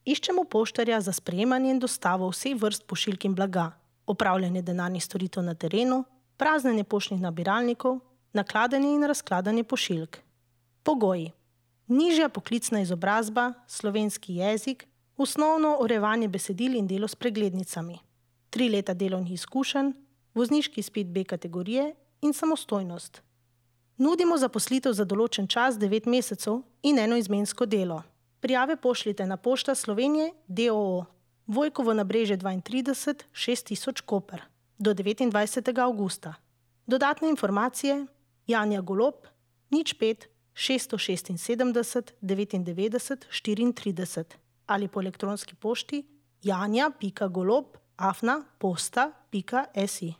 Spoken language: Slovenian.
Iščemo poštarja za sprejemanje in dostavo vseh vrst pošiljk in blaga, opravljanje denarnih storitev na terenu, praznjenje poštnih nabiralnikov, nakladanje in razkladanje pošiljk. Pogoji: nižja poklicna izobrazba, slovenski jezik, osnovno urejevanje besedil in delo s preglednicami, 3 leta delovnih izkušenj, vozniški izpit B kategorije in samostojnost. Nudimo zaposlitev za določen čas 9 mesecev in enoizmensko delo. Prijave pošljite na Pošta Slovenije d.o.o. Vojkovo nabrežje 32 6000 Koper do 29. avgusta. Dodatne informacije: Janja Golob 05 676 99 34 ali po elektronski pošti janja.golob@posta.si.